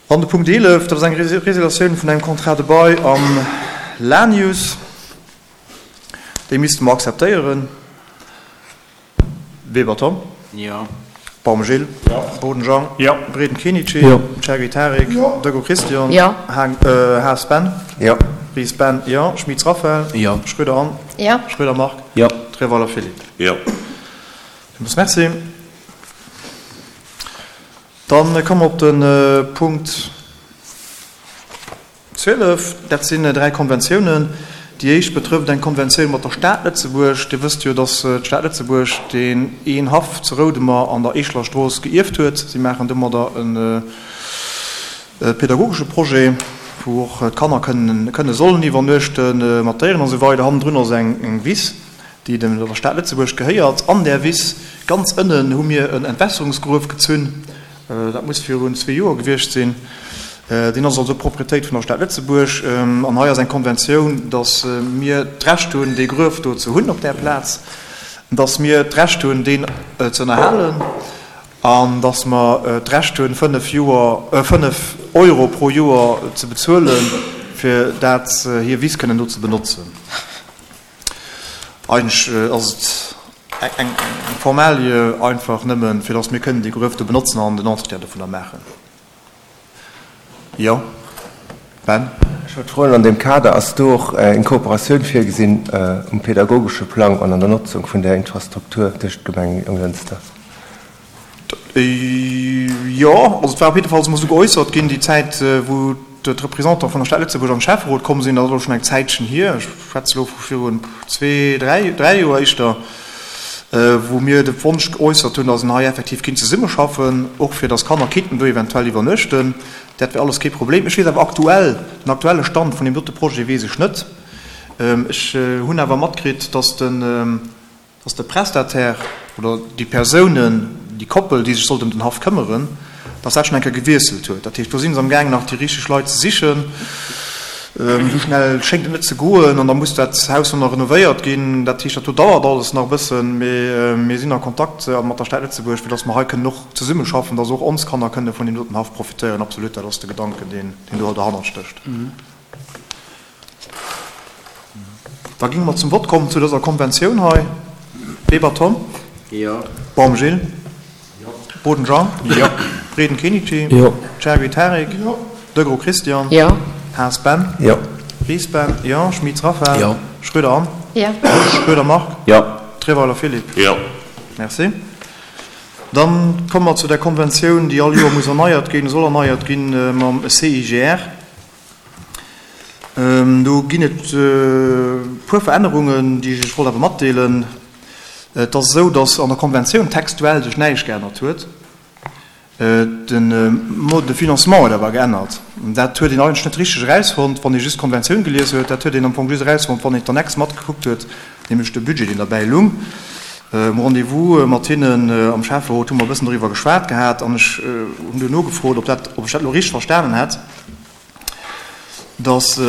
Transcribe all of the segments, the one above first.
An de Punkt 11, dat ass eng Résiliatioun vun engem Contrat de bail am Lanius. Déi misste mer akzeptéieren. Weber Tom. Jo. Baum Gilles. Jo. Boden Jean. Jo. Breden Kenichi. Jo. Cherry Tarik. Jo. Döggo Christian. Jo. Haas Ben. Jo. Ries Ben. Jo. Schmitz Raphaël. Jo. Schröder Anne. Jo. Schröder Marc. Jo. Treweiler Philippe. Jo. Villmools Merci. Dann komme mer op de Punkt 12. Dat sinn dräi Konventiounen. Déi éischt betrëfft eng Konventioun mat der Stad Lëtzebuerg. Dir wësst jo, dass d'Stad Lëtzebuerg deen een Haff zu Roudemer an der Eescheler Strooss geierft huet. Si maachen domadder e pedagogesche Projet, wou och d'Kanner kënne sollen iwwernuechten, mat Déieren a sou weider. Hannendrun ass eng Wiss. déi dem der Stad Lëtzebuerg gehéiert. An där Wiss, ganz ënnen, hu mir en Entwässerungsgruef gezunn. Dat muss virun zwee Joer gewiescht sinn. Deen ass also Proprietéit vun der Stad Lëtzebuerg. An hei ass eng Konventioun, datt mir d'Recht hunn, dee Gruef do ze hunn op där Plaz, datt mir d'Recht hunn, deen ze ënnerhalen an datt mer d'Recht hunn, fënnef Joer, fënnef Euro pro Joer ze bezuelen, fir dat hir Wiss kënnen do ze benotzen. Eigentlech ass et eng Formalie einfach nëmmen, fir datt mir kënnen déi Gruef do benotzen an den Entretien dovunner maachen. Jo, Ben? Ech wollt froen an deem Kader, Ass do och eng Kooperatioun virgesinn um pedagogesche Plang an an der Notzung vun där Infrastruktur tëscht Gemeng Jonglënster? Jo, also et war op jiddefalls emol esou geäussert ginn, déi Zäit, wou d'Representanten vun der Stad Lëtzebuerg an de Schäfferot komm sinn, dat ass elo schonn eng Zäitchen hier, ech schwätze elo vu virun zwee, dräi, dräi Joer éischter, wou mir de Wonsch geäussert hunn, datt een hei effektiv kinnt zesummeschaffen, och fir datt Kanner kinnten do eventuell iwwernuechten. Dat wär alles kee Problem. Ech weess awer aktuell, den aktuelle Stand vun deem dote Projet weess ech net. Ech hunn awer matkritt, datt den, dass de Prestataire oder déi Persounen, déi Koppel, déi sech sollt ëm den Haff këmmeren, dass dat schonn eng Kéier gewiesselt huet. Dat heescht, do si se amgaangen nach déi richteg Leit ze sichen. Esou schnell schéngt et net ze goen an da muss dat Haus och nach renovéiert ginn. Dat heescht, dat do dauert alles nach e bëssen, mee mir sinn a Kontakt mat der Stad Lëtzebuerg, fir dass mer hei kënnen och zesummeschaffen, dass och ons Kanner kënne vun deem doten Haff profitéieren. Absolut, dat ass de Gedanken, deen do derhannert stécht. Da géinge mer zum Vott kommen zu dëser Konventioun hei. Weber Tom. Jo. Baum Gilles. Jo. Boden Jean. Jo. Breden Kenichi. Jo. Cherry Tarik. Jo. Degros Christian. Jo. Haas Ben. Jo. Ries Ben. Jo. Schmitz Raphaël. Jo. Schröder Anne. Jo. Schröder Marc. Jo. Treweiler Philippe. Jo. Merci. Dann komme mer zu der Konventioun, déi all Joer muss erneiert ginn, soll erneiert ginn, mam CIGR. Do ginn et e puer Verännerungen, déi ech Iech wollt awer matdeelen. Et ass esou, datt an der Konventioun textuell sech näischt geännert huet. De Mode de financement huet awer geännert. Dat huet een eigentlech net richteg erausfonnt, wann ee just d'Konventioun gelies huet. Dat huet een am Fong just erausfonnt, wann een d'Annex matgekuckt huet, nämlech de Budget, deen derbäi lung. Um Rendez-vous mat hinnen am Schäfferot hu mer e bëssen doriwwer geschwat gehat an ech hunn duerno gefrot, ob dat, ob ech dat elo richteg verstanen hätt. dass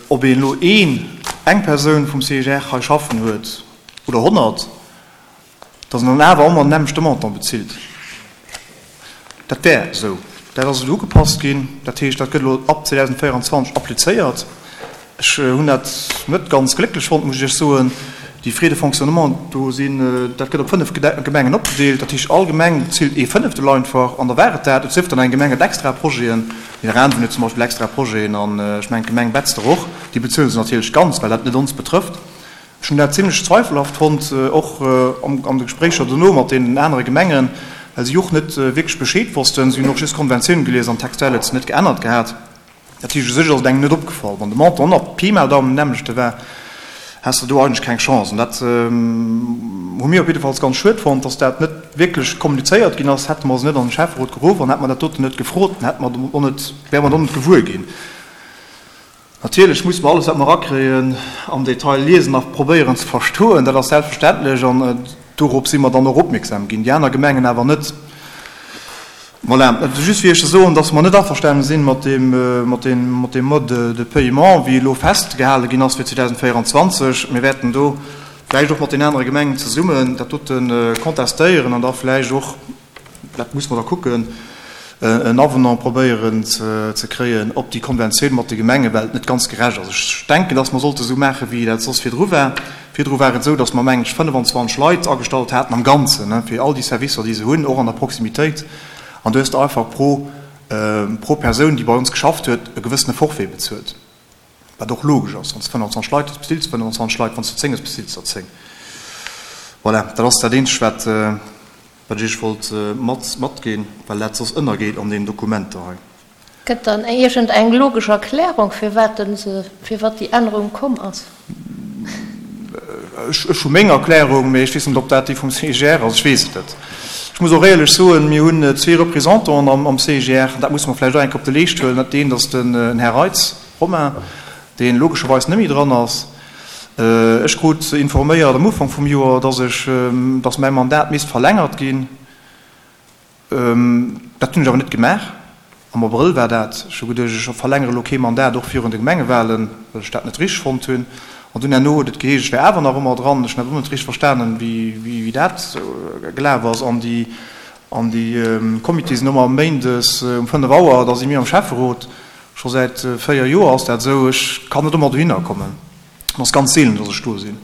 ob een elo een, eng Persoun vum CIGR hei schaffen huet oder 100, dass en dann awer ëmmer den nämmlechte Montant bezilt. Dat wär esou. Dat ass elo ugepasst ginn. Dat heescht, dat gëtt elo ab 2024 applizéiert. Ech hunn dat net ganz glécklech fonnt, muss ech Iech soen. Déi Frais de fonctionnement do sinn, dat gëtt op 5 Gemengen opgedeelt. Dat heescht, all Gemeng bezilt ee Fënneftel einfach an da war et dat. Et sief dann, eng Gemeng huet extra Projeten, Nidderaanwen huet zum Beispill extra Projeten an ech mengen d'Gemeng Betzder och. Déi bezuele se natierlech ganz, well dat net ons betrëfft. Ech hunn dat zimlech zweifelhaft fonnt, och an de Gespréicher dono mat deenen anere Gemengen, well si och net wierklech Bescheed wossten. Si hunn och just d'Konventioun gelies an textuell huet se net geännert gehat. Dat heescht, u sech ass et engem net opgefall. Wann de Montant och nach Pi mal Daumen den nämmlechte war, häss de do eigentlech keng Chance. An dat hu mir op jiddefalls ganz schued fonnt, dass dat net wierklech kommunizéiert ginn ass. Hätte mer se net an de Schäfferot geruff an hätte mer dat doten net gefrot, dann hätte mer och net, wäre mer och net gewuer ginn. Natierlech musse mer alles, wat mer erakréien, am Detail liesen a probéieren ze verstoen. Dat ass selbstverständlech an dorop si mer dann och opmierksam ginn, déi aner Gemengen awer net. Voilà, et ass just fir Iech ze soen, dass mer net averstane sinn mat deem, mat deem, mat deem Mode de paiement, wéi elo festgehale ginn ass fir 2024. Mir wäerten do vläicht och mat den anere Gemengen zesummen dat dote contestéieren an da vläicht och, dat muss mer da kucken. en Avenant probéieren ze kréien op déi Konventioun mat de Gemengen, well et net ganz gerecht ass. Ech denken, dass mer sollte esou maachen, wéi dat soss virdru war. Virdru war et esou, dass mer, mengen ech, 25 Leit agestallt haten am Ganzen, fir all déi Servicer, déi se hunn, och an der Proximitéit. An du hues de einfach pro, pro Persoun, déi bei ons geschafft huet, e gewëssene Forfait bezuelt, wat och logesch ass. Wann s de 25 Leit hues, bezills de 25 Leit, wann s de 10 hues, bezills de der 10. Voilà, dat ass dat Eenzegt, wat. Wat ech Iech wollt mat matginn, well dat soss ënnergeet an deenen Dokumenter hei. Gëtt dann iergend eng logesch Erklärung, firwat den se, firwat déi Ännerung komm ass? Ech hu meng Erklärung, mee ech weess net, ob dat déi vum CIGR ass. Ech weess et net. Ech muss och éierlech soen, mir hunn zwee Représentanten am CIGR, an dat musse mer vläicht och eng Kéier op de Leescht huelen. Dat eent ass den Här Reitz Romain, dee logescherweis net méi dran ass. Ech krut informéiert am Ufank vum Joer, dass ech, dass mäi Mandat misst verlängert ginn. Dat hunn ech awer net gemaach. Am Abrëll war dat. Ech hu geduecht, ech verlängere elo kee Mandat, och virun de Gemengewahlen, well ech dat net richteg fonnt hunn. An dunn herno huet et geheescht, ech wär awer nach ëmmer dran. Ech hunn awer och net richteg verstanen, wéi dat gelaf ass. An déi, an déi Comitéë sinn ëmmer méindes um 5 Auer, da si mir am Schäfferot. Scho säit 4 Joer ass dat esou. Ech kann net ëmmer dohinner kommen. Et ass ganz seelen, dass ech do sinn.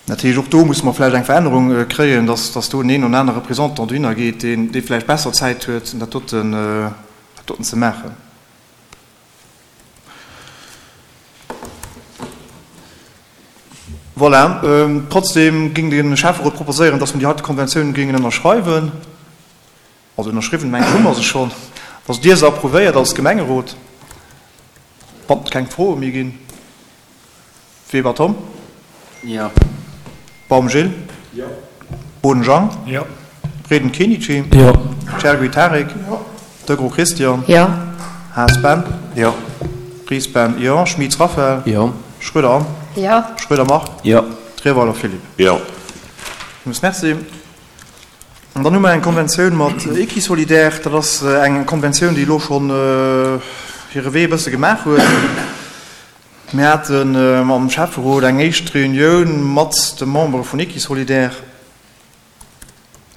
Dat heescht, och do musse mer vläicht eng Verännerung kréien, dass, dass do en een oder anere Représentant dohinner geet, deen, dee vläicht besser Zäit huet, dat doten, dat doten ze maachen. Voilà. Trotzdem géing de Schäfferot proposéieren, dass mer déi heite Konventioun géingen ënnerschreiwen. Also ënnerschriwwen, mengen ech, hu mer se schonn. Dass Dir se approuvéiert als Gemengerot, wann et keng Froe méi ginn. Weber Tom? Jo. Baum Gilles? Jo. Boden Jang? Jo. Breden Kenichi? Jo. Chergui Tarik? Jo. Degros Christian? Jo. Haas Ben? Jo. Ries Ben? Jo. Schmitz Raphaël? Jo. Schroeder Anne? Jo. Schroeder Marc? Jo. Trierweiler Philippe? Jo. Villmools Merci. An dann hu mer eng Konventioun mat Equisolidaire. Dat ass eng Konventioun, déi elo schonn hire Wee e bësse gemaach huet. Mir haten mam Schäfferot eng éischt Reunioun mat de Membere vun Equisolidaire.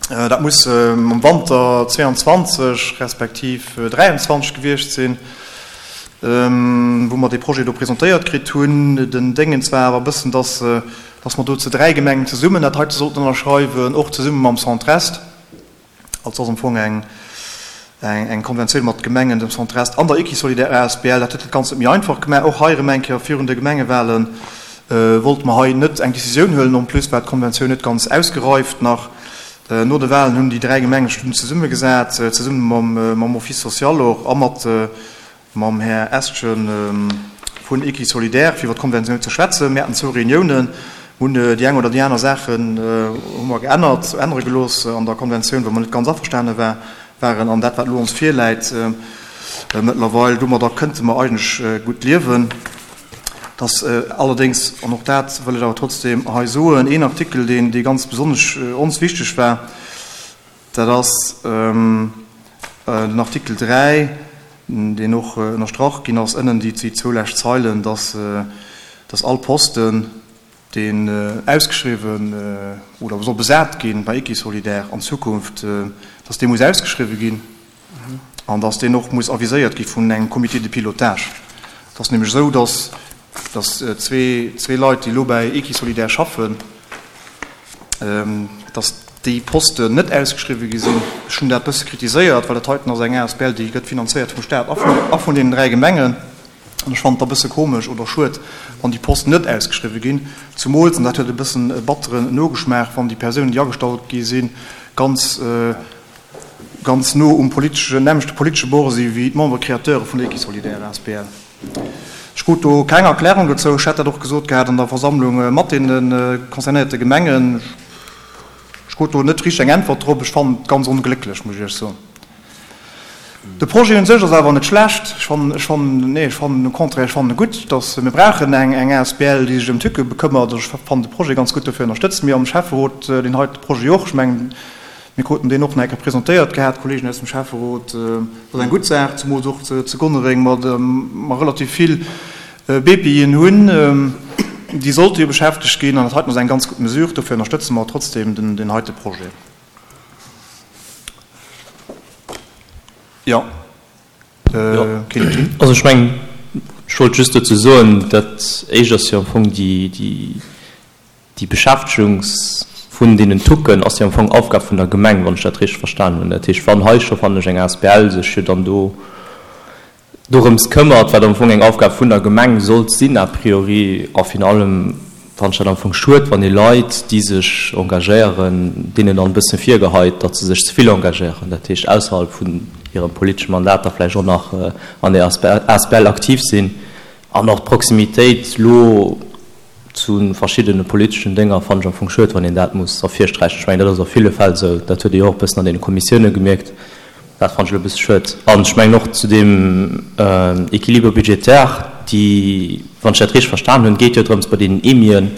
Dat muss am Wanter 22 respektiv 23 gewiescht sinn, wou mer dee Projet do presentéiert kritt hunn. Den Déngens war awer e bëssen, dass dass mer do zu 3 Gemengen zesummen dat heite sollten ënnerschreiwen, och zesumme mam Centre-Est. Also ass am Fong eng, eng Konventioun mat Gemengen, dem Centre-Est an der Equisolidaire asbl. Dat huet dat Ganzt net méi einfach gemaach. Och hei erëm eng Kéier, virun de Gemengewahlen wollte mer hei net eng Décisioun huelen. En plus war d'Konventioun net ganz ausgereift nach. No de Wahlen hunn déi 3 Gemengen sech dunn zesummegesat, zesumme mam, mam Office social och a mat, mam Här Estgen vun Equisolidaire, fir iwwer d'Konventioun ze schwätzen. Mir haten zwou Reuniounen, hunn déi eng oder déi aner Saachen hu mer geännert, ännere gelooss an der Konventioun, wou mer net ganz averstane waren. An dat, wat elo ons virläit mëttlerweil, domadder kënnte mer eigentlech gutt liewen. Et ass allerdéngs, an och dat wëll ech awer trotzdem hei soen, een Artikel, deen, dee ganz besonnesch ons wichteg war, Dat ass den Artikel 3, deen och ënnerstrach ginn ass ënnen, déi zwou lescht Zeilen, dass all Posten, deen ausgeschriwwen oder soll besat gi bei Equisolidaire an Zukunft, dass dee muss ausgeschriwwen ginn an dass deen och muss aviséiert gi vun engem Comité de pilotage. Et ass nämlech esou, dass zwee Leit, déi elo bei Equisolidaire schaffen, dass déi Posten net ausgeschriwwen gi sinn. Ech hunn dat e bësse kritiséiert, well dat heiten ass eng asbl, déi gëtt finanzéiert vum Staat a vun deenen 3 Gemengen. An ech fannen et da e bësse komesch oder schued, wann déi Posten net ausgeschriwwen ginn, zumools, an dat huet e bëssen e batteren Nogeschmaach, wann déi Persounen, déi agestallt gi sinn, ganz, ganz no um politeschen, nämmlechte politesche Bord si wéi d'Membres créateurs vun der Equisolidaire asbl. Ech krut do keng Erklärung dozou. Ech hätt dat och gesot gehat an der Versammlung mat deene concernéierte Gemengen. Ech krut do net richteg eng Äntwert drop. Ech fannen et ganz onglécklech, muss ech Iech soen. De Projet un sech ass awer net schlecht. Ech fannen, ech fannen, nee, ech fannen au contraire, ech fannen e gutt, dass mir brauchen eng, eng asbl, déi sech ëm d'Tücke bekëmmert. Ech fannen de Projet ganz gutt, dofir ënnerstëtze mir am Schäfferot deen heite Projet och. Ech mengen, Mir kruten deen och nach eng Kéier presentéiert gehat, d'Kollegen aus dem Schäfferot. Dat ass eng gutt Saach, zemools och zu Gonnereng mer relativ vill BPIen hunn, déi sollte jo beschäftegt ginn. An dat heiten ass eng ganz gutt Mesure. Dofir ënnerstëtze mer trotzdem deen heite Projet. Jo. Also ech mengen, ech wollt just dozou soen, dat Éischt ass jo am Fong déi, déi, déi Beschäftegung vun deenen Tucken ass jo am Fong Aufgab vun der Gemeng, wann ech dat richteg verstanen hunn. Dat heescht, wann hei scho, fannen ech, eng asbl sech jo dann do dorëms këmmert, wat am Fong eng Aufgab vun der Gemeng sollt sinn a priori, a virun allem fannen ech dat am Fong schued, wann ee Leit, déi sech engagéieren, deenen dann e bëssen virgeheit, datt se sech ze vill engagéieren, dat heescht ausserhalb vun hirem politesche Mandat da vläicht och nach an där asbl aktiv sinn. An och d'Proximitéit elo zu verschiddene politeschen Dénger fannen ech am Fong schued, wann een dat muss ervirsträichen. Ech mengen, dat ass a ville Fäll esou. Dat huet ee jo och e bëssen an deene Kommissioune gemierkt. Dat fannen ech elo e bësse schued. An ech mengen och zu deem Équilibre budgétaire, déi, wann ech dat richteg verstan hunn, geet jo drëms bei deenen EMIen,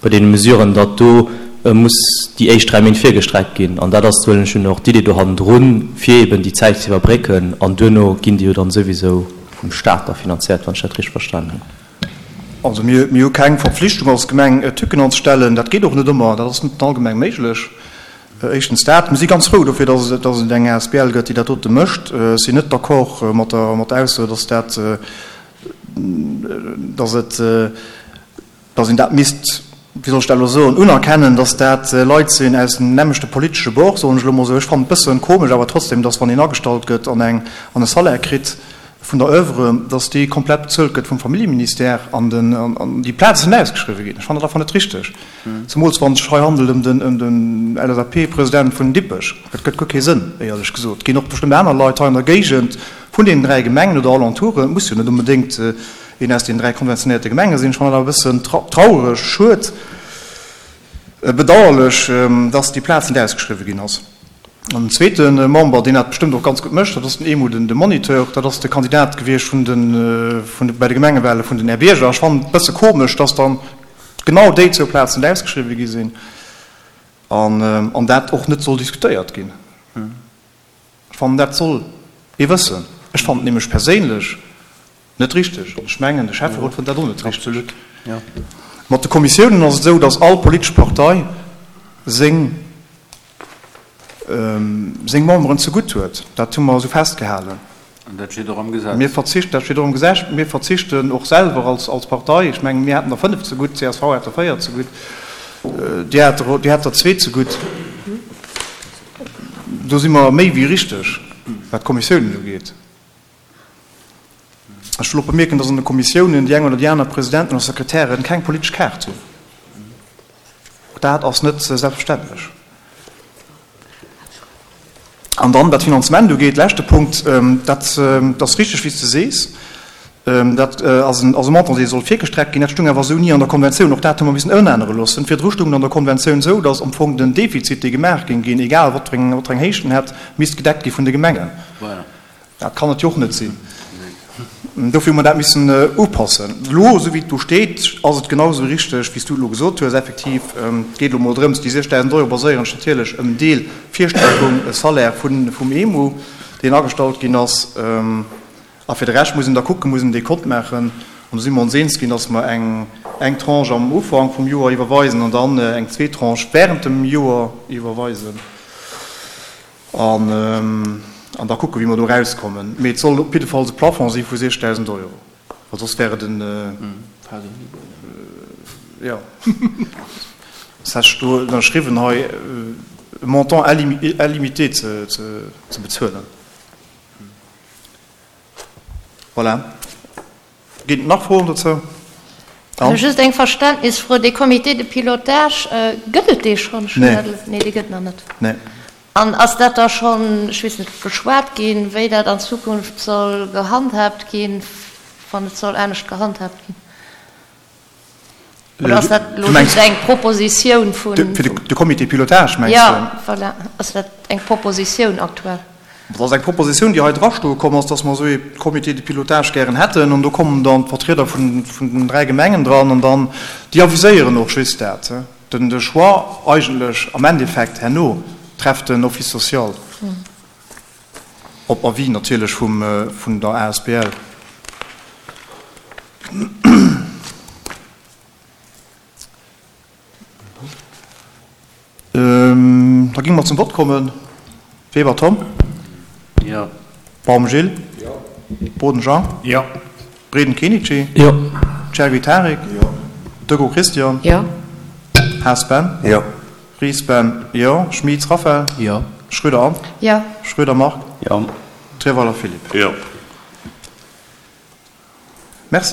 bei deene Mesuren, datt do muss déi éischt 3 Méint virgestreckt ginn. An dat ass, huelen ech un, och d'Idee do hannendrun, fir eeben déi Zäit ze iwwerbrécken. An duerno ginn déi jo dann souwisou vum Stat da finanziert, wann ech dat richteg verstan hunn. Also mir hu keng Verpflichtung als Gemeng Tücken anzestellen. Dat geet och net ëmmer, dat ass net an all Gemeng méiglech. Éischtens dat. Mir si ganz frou dofir, datt et eng asbl gëtt, déi dat dote mécht. Ech sinn net d'accord mat der Ausso, datt dat, datt et, datt een dat misst, wéi soll ech dat elo soen, unerkennen, datt dat Leit sinn aus dem nämmlechte politesche Bord, soen ech elo mol esou. Ech fannen et bëssen komesch awer trotzdem, datt wann een agestallt gëtt an eng, an e Salaire kritt vun der Oeuvre, datt dee komplett bezuelt gëtt vum Familljeministère an den, an déi Plazen net ausgeschriwwe ginn. Ech fannen dat einfach net richteg, zemools wann et sech hei handelt ëm den, ëm den LSAP-President vun Dippech. Dat gëtt guer kee Sënn, éierlech gesot. Et ginn och bestëmmt aner Leit hei an der Géigend vun deenen 3 Gemengen oder Alentouren, et muss jo net onbedéngt een aus den 3 konventionéierte Gemenge sinn. Ech fannen dat awer e bëssen traureg, schued, bedauerlech, dass déi Plaz net ausgeschriwwen ginn ass. An den zweete Member, deen dat bestëmmt och ganz gutt mécht, dat ass den Emu, den Moniteur, dat ass de Kandidat gewiescht vun de, vun de, bei de Gemengewale vun den Är Bierger. Ech fannen et e bësse komesch, dass dann genau déi zwou Plazen net ausgeschriwwen gi sinn an, an dat och net soll diskutéiert ginn. Ech fannen, dat soll ee wëssen. Ech fannen et nämlech perséinlech net richteg an ech mengen, de Schäfferot fënnt dat och net richteg. Mat de Kommissiounen ass et esou, datt all politesch Partei seng seng Memberen zegutt huet. Dat hu mer esou festgehalen. An dat steet och am Gesetz. Mir verzichten, dat steet och am Gesetz, mir verzichten och selwer als als Partei, ech mengen, mir haten der 5 zegutt, csv hat der 4 zegutt, Dir hat der, Dir hat der zwee zegutt. Do si mer méi wéi richteg, wat d'Kommissiounen ugeet. Ech wëll och bemierken, dass an de Kommissiounen déi eng oder déi aner Presidenten oder Sekretären keng politesch Kaart hunn. Och dat ass net selbstverständlech. An dann, wat d'Finanzement ugeet, leschte Punkt, dat ass richteg, wéi s de sees, dat ass en Montant, dee soll virgestreckt ginn. Dat stoung awer esou ni an der Konventioun. Och dat hu mer missen ëmännere loossen. Virdru stoung et an der Konventioun esou, datt am Fong den Defizit, dee gemaach géing ginn, egal wat fir eng Héicht en hätt, misst gedeckt gi vun de Gemengen. Dat kann et jo och net sinn. Dofir hu mer dat missen upassen. Elo, esou wéi et do steet, ass et genau esou richteg, wéi s du et elo gesot hues. Effektiv, et geet elo mol drëms, déi 6.000 Euro baséieren sech natierlech ëm en Deel Virstreckung, e Salaire vum EMU, deen agestallt ginn ass. A fir de Rescht muss een da kucken, muss een dee Kont maachen. An do si mer ons eens ginn, dass mer eng eng Tranche am Ufank vum Joer iwwerweisen an dann eng zweet Tranche während dem Joer iwwerweisen. An da kucken, wéi mer do erauskommen. Mee et soll op jiddefalls e Plafond si vu 6.000 Euro, well soss wär et en, jo, soss hätt ech do ënnerschriwwen hei, e Montant illimité ze bezuelen. Voilà. Ginn et nach Froen dozou? Anne? Just eng Verständnisfro, Dee Comité de pilotage, gëtt et dee schonn? Nee. Nee, dee gëtt nach net. Nee. An ass dat da schonn, ech weess net, beschwat ginn, wéi dat an Zukunft soll gehandhaabt ginn, wann et soll anescht gehandhaabt ginn? Oder ass dat elo just eng Propositioun vun. Fir de Comité pilotage, mengs du? Jo, voilà. Ass dat eng Propositioun aktuell? Dat ass eng Propositioun, déi hei drastoe komm ass, dass mer esou ee Comité de pilotage gären hätten. An do kommen dann d'Vertrieder vun den 3 Gemengen dran an dann, déi aviséieren och just dat. Den de Choix eigentlech am Endeffekt herno trefft den Office social, op Avis natierlech vum vun der asbl. Da géinge mer zum Vott kommen. Weber Tom. Jo. Baum Gilles. Jo. Boden Jean. Jo. Breden Kenichi. Jo. Chergui Tarik. Jo. Deco Christian. Jo. Haas Ben. Jo. Ries Ben. Jo. Schmitz Raphaël. Jo. Schröder Anne. Jo. Schröder Marc. Jo. Treweiler Philippe. Jo. Merci.